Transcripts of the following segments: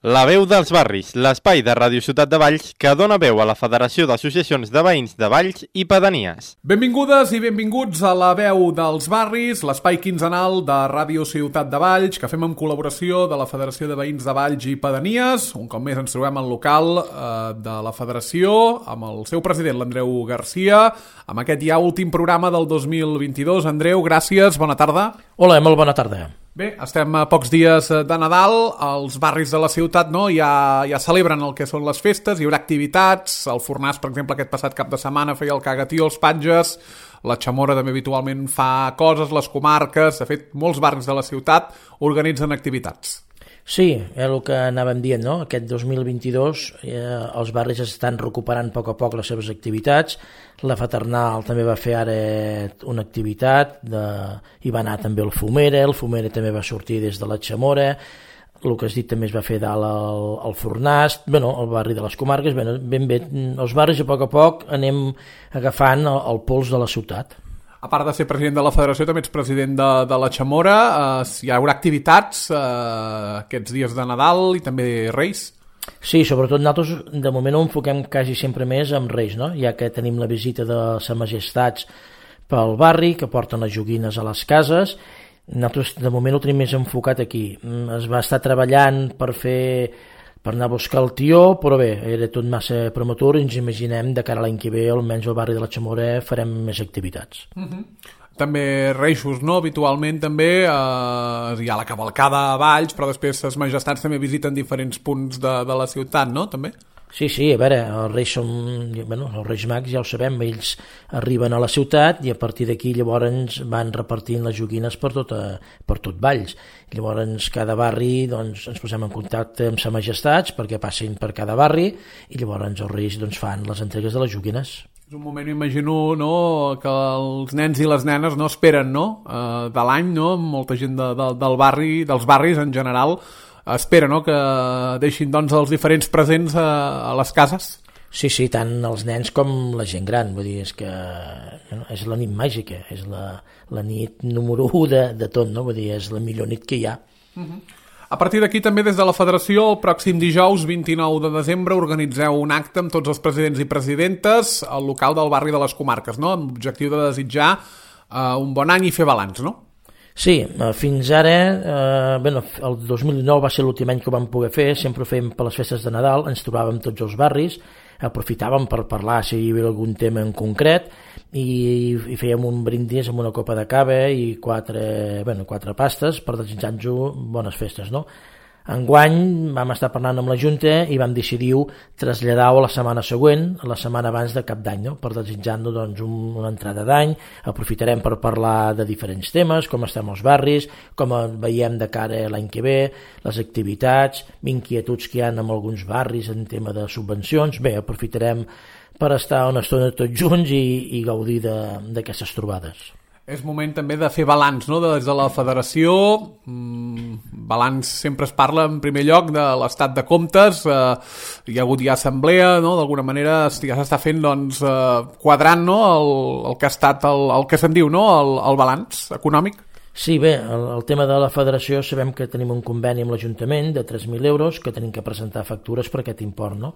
La veu dels barris, l'espai de Ràdio Ciutat de Valls que dona veu a la Federació d'Associacions de Veïns de Valls i Pedanies. Benvingudes i benvinguts a La veu dels barris, l'espai quinzenal de Ràdio Ciutat de Valls que fem en col·laboració de la Federació de Veïns de Valls i Pedanies. Un cop més ens trobem al local de la Federació amb el seu president, l'Andreu Garcia, amb aquest ja últim programa del 2022. Andreu, gràcies, bona tarda. Hola, molt bona tarda. Bé, estem a pocs dies de Nadal, els barris de la ciutat ja celebren el que són les festes, hi haurà activitats, el Fornàs, per exemple, aquest passat cap de setmana feia el cagatió, els patges, la Chamorra també habitualment fa coses, les comarques, de fet, molts barris de la ciutat organitzen activitats. Sí, és el que anàvem dient, no? Aquest 2022 els barris estan recuperant a poc les seves activitats. La Fraternal també va fer ara una activitat, hi va anar també el Fumera també va sortir des de la Chamorra, el que has dit també es va fer dalt al Fornàs, el barri de les comarques, ben bé, els barris a poc anem agafant el pols de la ciutat. A part de ser president de la Federació, també ets president de la Chamorra. Hi haurà activitats aquests dies de Nadal i també Reis? Sí, sobretot nosaltres de moment ho enfoquem quasi sempre més amb Reis, no? Ja que tenim la visita de Sa Majestats pel barri, que porten les joguines a les cases. Nosaltres de moment ho tenim més enfocat aquí. Es va estar treballant per anar a buscar el tió, però bé, era tot massa prematur i ens imaginem de cara a l'any que ve, almenys al barri de la Chamorra, farem més activitats. També Reixos, no? Habitualment també hi ha la cavalcada a Valls, però després les majestats també visiten diferents punts de la ciutat, no? També? Sí, a veure, els Reis Mags ja ho sabem, ells arriben a la ciutat i a partir d'aquí llavors van repartint les joguines per tot Valls. Llavors cada barri ens posem en contacte amb Sa Majestats perquè passin per cada barri i llavors els Reis fan les entregues de les joguines. És un moment, imagino, no, que els nens i les nenes no esperen, no? De l'any, no? Molta gent del barri, dels barris en general, espera, no?, que deixin els diferents presents a les cases. Sí, tant els nens com la gent gran, vull dir, és que és la nit màgica, és la nit número 1 de tot, no? Vull dir, és la millor nit que hi ha. A partir d'aquí també des de la Federació, el pròxim dijous 29 de desembre organitzeu un acte amb tots els presidents i presidentes al local del barri de les comarques, no?, amb l'objectiu de desitjar un bon any i fer balanç, no? Sí, fins ara, el 2019 va ser l'últim any que ho vam poder fer, sempre ho fèiem per les festes de Nadal, ens trobàvem tots els barris, aprofitàvem per parlar si hi havia algun tema en concret i fèiem un brindis amb una copa de cava i quatre pastes per desitjar-nos bones festes, no? Enguany vam estar parlant amb la Junta i vam decidir traslladar-ho a la setmana següent, la setmana abans de Cap d'Any, no? Per desitjar-nos una entrada d'any. Aprofitarem per parlar de diferents temes, com estem els barris, com veiem de cara a l'any que ve, les activitats, inquietuds que hi ha en alguns barris en tema de subvencions. Bé, aprofitarem per estar una estona tots junts i gaudir d'aquestes trobades. És moment també de fer balanç, no?, des de la Federació. Balanç sempre es parla en primer lloc de l'estat de comptes. Hi ha hagut ja assemblea, no?, d'alguna manera ja s'està fent quadrant, no?, el que ha estat el que se'n diu, no?, el balanç econòmic. Sí, bé, el tema de la Federació sabem que tenim un conveni amb l'Ajuntament de 3.000 euros que tenim que presentar factures per aquest import, no?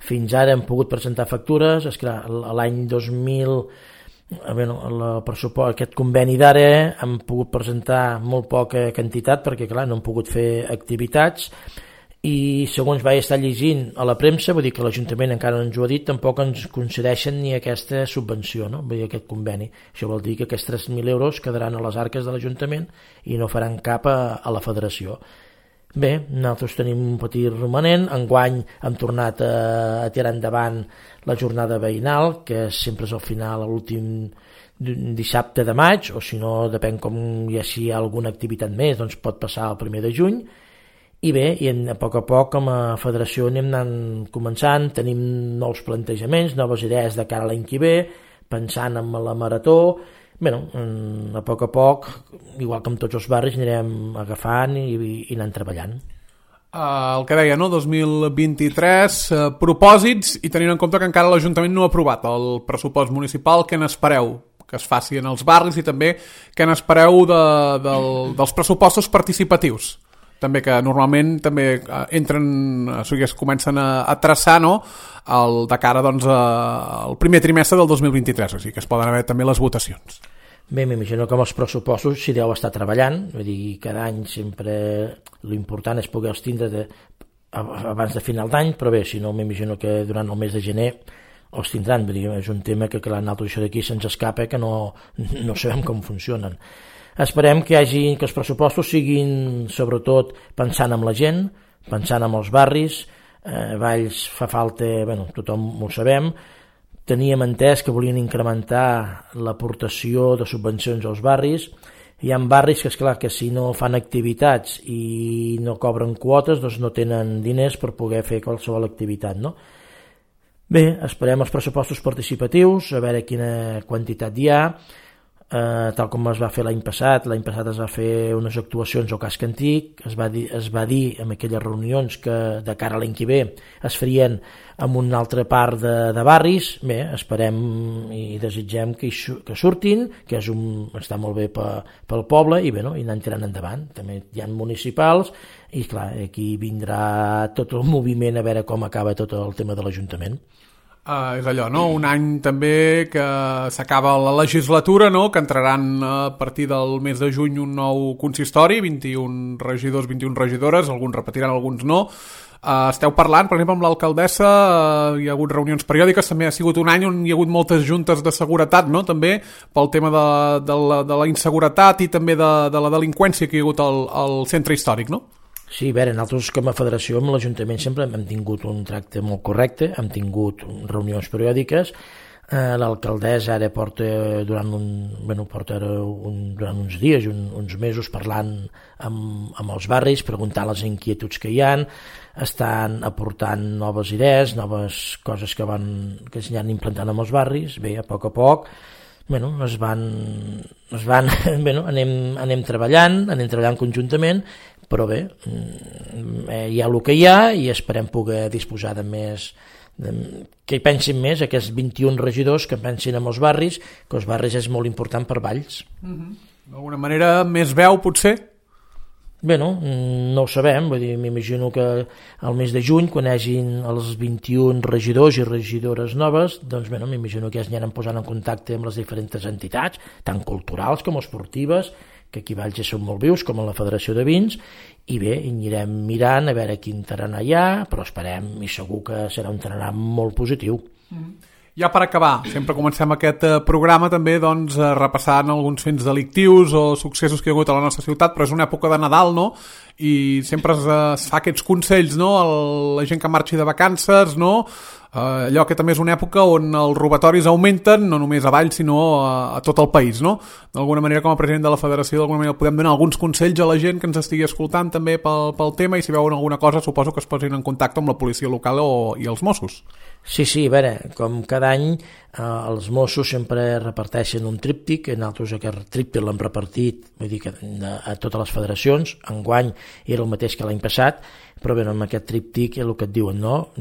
Fins ara hem pogut presentar factures, esclar, l'any 2000 el pressupost, aquest conveni d'ara hem pogut presentar molt poca quantitat perquè clar, no hem pogut fer activitats i segons vaig estar llegint a la premsa, vull dir que l'Ajuntament encara no ens ho ha dit, tampoc ens concedeixen ni aquesta subvenció, no? Vull dir, aquest conveni. Això vol dir que aquests 3.000 euros quedaran a les arques de l'Ajuntament i no faran cap a la Federació. Bé, nosaltres tenim un petit romanent. Enguany hem tornat a tirar endavant la jornada veïnal, que sempre és al final, a l'últim dissabte de maig, o si no, depèn com si hi ha alguna activitat més, doncs pot passar el 1 de juny. I bé, a poc com a federació anem anant començant, tenim nous plantejaments, noves idees de cara a l'any que ve, pensant en la marató. Bé, a poc, igual que amb tots els barris, anirem agafant i anant treballant. El que deia, no? 2023, propòsits, i tenint en compte que encara l'Ajuntament no ha aprovat el pressupost municipal, què n'espereu que es faci en els barris i també què n'espereu dels pressupostos participatius? també que normalment també entren, o sigui, es comencen a traçar, no?, de cara doncs, al primer trimestre del 2023, o sigui que es poden haver també les votacions. Bé, m'imagino que amb els pressupostos s'hi deu estar treballant, vull dir, cada any sempre l'important és poder-los tindre abans de final d'any, però bé, si no m'imagino que durant el mes de gener els tindran, vull dir, és un tema que clar, nosaltres això d'aquí se'ns escapa, que no sabem com funcionen. Esperem que els pressupostos siguin sobretot pensant en la gent, pensant en els barris. Valls fa falta, bueno, tothom ho sabem. Teníem entès que volien incrementar l'aportació de subvencions als barris. Hi ha barris que, esclar, que si no fan activitats i no cobren quotes, doncs no tenen diners per poder fer qualsevol activitat, no? Bé, esperem els pressupostos participatius, a veure quina quantitat hi ha. Tal com es va fer l'any passat es va fer unes actuacions al casc antic, es va dir en aquelles reunions que de cara a l'any que ve es farien en una altra part de barris. Bé, esperem i desitgem que surtin, que està molt bé pel poble i bé, no? I anar tirant endavant. També hi ha municipals i clar, aquí vindrà tot el moviment a veure com acaba tot el tema de l'Ajuntament. És allò, no? Un any també que s'acaba la legislatura, no? Que entraran a partir del mes de juny un nou consistori, 21 regidors, 21 regidores, alguns repetiran, alguns no. Esteu parlant, per exemple, amb l'alcaldessa, hi ha hagut reunions periòdiques, també ha sigut un any on hi ha hagut moltes juntes de seguretat, no? També pel tema de la inseguretat i també de la delinqüència que hi ha hagut al centre històric, no? Sí, a veure, nosaltres com a federació amb l'Ajuntament sempre hem tingut un tracte molt correcte, hem tingut reunions periòdiques. L'alcaldessa ara porta durant uns dies, uns mesos parlant amb els barris, preguntant les inquietuds que hi ha, estan aportant noves idees, noves coses que es han implantant amb els barris. Bé, a poc anem treballant conjuntament, però bé, hi ha el que hi ha i esperem poder disposar de més, que hi pensin més aquests 21 regidors, que pensin en els barris, que els barris és molt important per Valls. D'alguna manera més veu potser? Bé, no ho sabem, vull dir, m'imagino que al mes de juny, quan hi hagin els 21 regidors i regidores noves, doncs bé, m'imagino que ja s'aniran posant en contacte amb les diferents entitats, tant culturals com esportives, que aquí a Valls ja són molt vius, com a la Federació de Vins, i bé, anirem mirant a veure quin tarannà hi ha, però esperem, i segur que serà un tarannà molt positiu. Ja per acabar, sempre comencem aquest programa també doncs, repassant alguns fets delictius o successos que hi ha hagut a la nostra ciutat, però és una època de Nadal, no? I sempre es fa aquests consells, no? La gent que marxi de vacances, no? Allò que també és una època on els robatoris augmenten, no només a Valls sinó a tot el país, no? D'alguna manera, com a president de la federació, d'alguna manera podem donar alguns consells a la gent que ens estigui escoltant també pel tema, i si veuen alguna cosa suposo que es posin en contacte amb la policia local i els Mossos. Sí, a veure, com cada any els Mossos sempre reparteixen un tríptic, nosaltres aquest tríptic l'hem repartit, vull dir que a totes les federacions, enguany era el mateix que l'any passat, però bé, amb aquest tríptic és el que et diuen, no?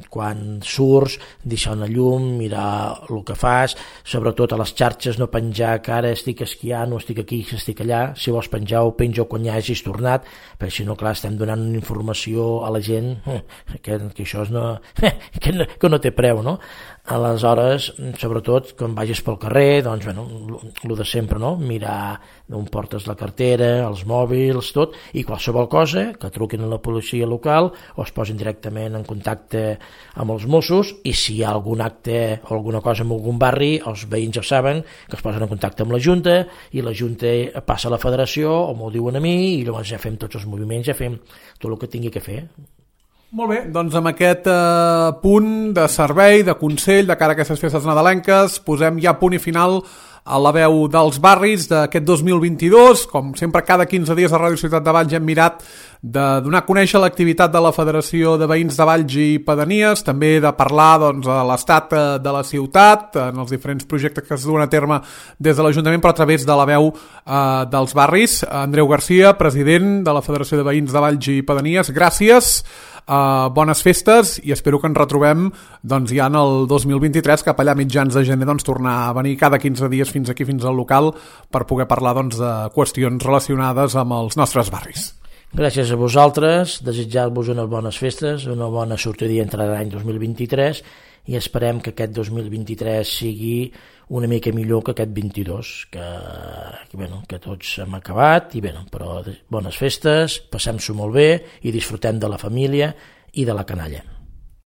Quan surts, deixar una llum, mirar el que fas, sobretot a les xarxes no penjar que ara estic esquiant o estic aquí, estic allà. Si vols penjar ho penjo quan ja hagis tornat, perquè si no, clar, estem donant una informació a la gent que això que no té preu, no? Aleshores, sobretot quan vagis pel carrer, doncs bueno, el de sempre, no? Mirar on portes la cartera, els mòbils, tot, i qualsevol cosa que truquin a la policia local o es posin directament en contacte amb els Mossos, i si hi ha algun acte o alguna cosa en algun barri, els veïns ja saben que es posen en contacte amb la Junta i la Junta passa a la federació o m'ho diuen a mi i llavors ja fem tots els moviments, ja fem tot el que tingui que fer. Molt bé, doncs amb aquest punt de servei, de consell, de cara a aquestes festes nadalenques, posem ja punt i final a la veu dels barris d'aquest 2022. Com sempre, cada 15 dies a Ràdio Ciutat de Valls hem mirat de donar a conèixer l'activitat de la Federació de Veïns de Valls i Pedanies, també de parlar doncs, a l'estat de la ciutat, en els diferents projectes que es duen a terme des de l'Ajuntament, però a través de la veu dels barris. Andreu Garcia, president de la Federació de Veïns de Valls i Pedanies, gràcies. Bones festes i espero que ens retrobem doncs, ja en el 2023, cap allà mitjans de gener, doncs, tornar a venir cada 15 dies fins aquí, fins al local, per poder parlar doncs, de qüestions relacionades amb els nostres barris. Gràcies a vosaltres, desitjar-vos unes bones festes, una bona sortida i entrada l'any 2023 i esperem que aquest 2023 sigui una mica millor que aquest 22, que tots hem acabat, però bones festes, passem-s'ho molt bé i disfrutem de la família i de la canalla.